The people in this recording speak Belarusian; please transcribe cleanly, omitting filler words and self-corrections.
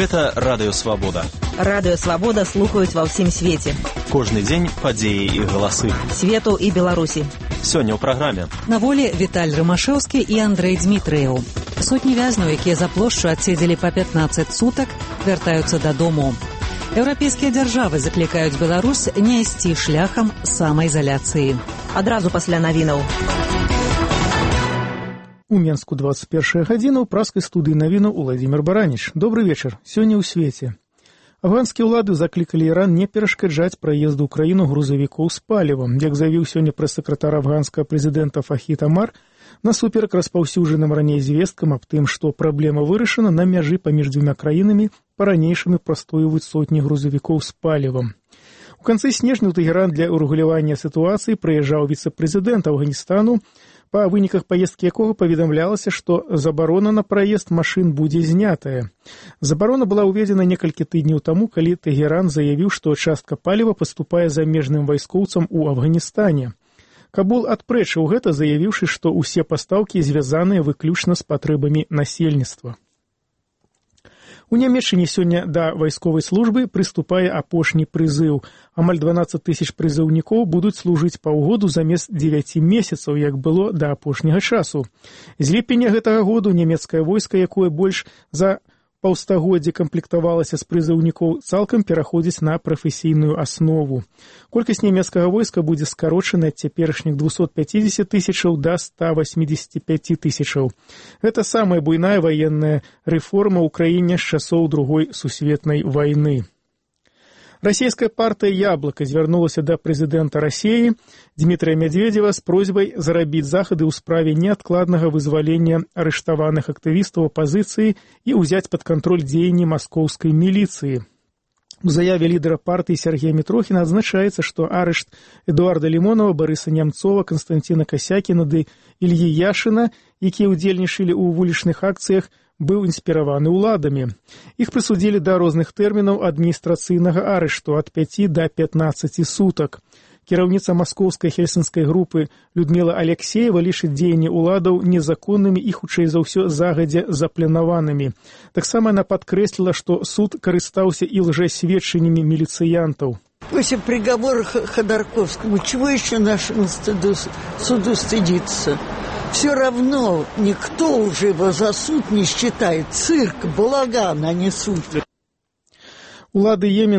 Гэта Радыё Свабода. Радыё Свабода слухаюць ва ўсім свеце. Кожны дзень падзеі і галасы. Свету і Беларусі. Сёння ў праграме. На волі Віталь Рымашэўскі і Андрэй Дзмітрыеў. Сотні вязняў, якія за плошчу адседзелі па 15 сутак, вяртаюцца дадому. Еўрапейскія дзяржавы заклікаюць Беларусь не ісці шляхам самаізаляцыі. Адразу пасля навінаў. У Менску 21 гадзіна ў праскай студыі навінаў Уладзімір Бараніч. Добры вечар. Сёння ў свеце. Афганскія ўлады заклікалі Іран не перашкаджаць праезду ў краіну грузавікоў з палівам. Як заявіў сёння прэс-сакратар афганскага прэзідэнта Фахід Амар, насуперак распаўсюджаным раней звесткам аб тым, што праблема вырашана, на мяжы паміж дзвюма краінамі па-ранейшаму прастойваюць сотні грузавікоў з палівам. У канцы снежня ў Тэгеран для урэгулявання сітуацыі прыязджаў віцэ-прэзідэнт Афганістану, па выніках паездкі якога паведамлялася, што забарона на праезд машын будзе знятая. Забарона была ўведзена некалькі тыдняў таму, калі Тэгеран заявіў, што частка паліва паступае замежным вайскоўцам у Афганістане. Кабул адпрэчыў гэта, заявіўшы, што ўсе пастаўкі звязаныя выключна з патрэбамі насельніцтва. У Нямецчыне сёння да вайсковай службы прыступае апошні прызыў. Амаль 12 тысяч прызыўнікоў будуць служыць паўгоду замест 9 месяцаў, як было да апошняга часу. З ліпеня гэтага году нямецкае войска, якое больш за паўстагоддзя камплектавалася з прызыўнікоў, цалкам пераходзіць на прафесійную аснову. Колькасць нямецкага войска будзе скарочана ад цяперашніх 250 тысячаў да 185 тысячаў. Гэта самая буйная ваенная рэформа ў краіне з часоў Другой сусветнай вайны. Расійская партыя «Яблыка» звярнулася да прэзідэнта Расіі Дмітрыя Мядзведзева з просьбай зарабіць захады ў справе неадкладнага вызвалення арыштаваных актывістаў апазіцыі і ўзяць пад кантроль дзеянні маскоўскай міліцыі. У заяве лідара партыі Сергея Мітрохіна адзначаецца, што арышт Эдуарда Лімонова, Барыса Нямцова, Канстанціна Касякіна ды Ільі Яшына, якія ўдзельнічалі ў вулічных акцыях, быў інспіраваны ўладамі. Іх прысудзілі да розных тэрмінаў адміністрацыйнага арышту ад 5 да 15 сутак. Кіраўніца маскоўскай хельсінскай групы Людміла Алексеева лічыць дзеянні ўладаў незаконнымі і, хутчэй за ўсё, загадзя запланаванымі. Таксама яна падкрэсліла, што суд карыстаўся і лжэсведчаннямі міліцыянтаў. После приговора Ходорковскому чего еще нашему суду стыдиться? Все равно никто уже его за суд не считает. Цирк, балаган, а не суд. Улады Йемена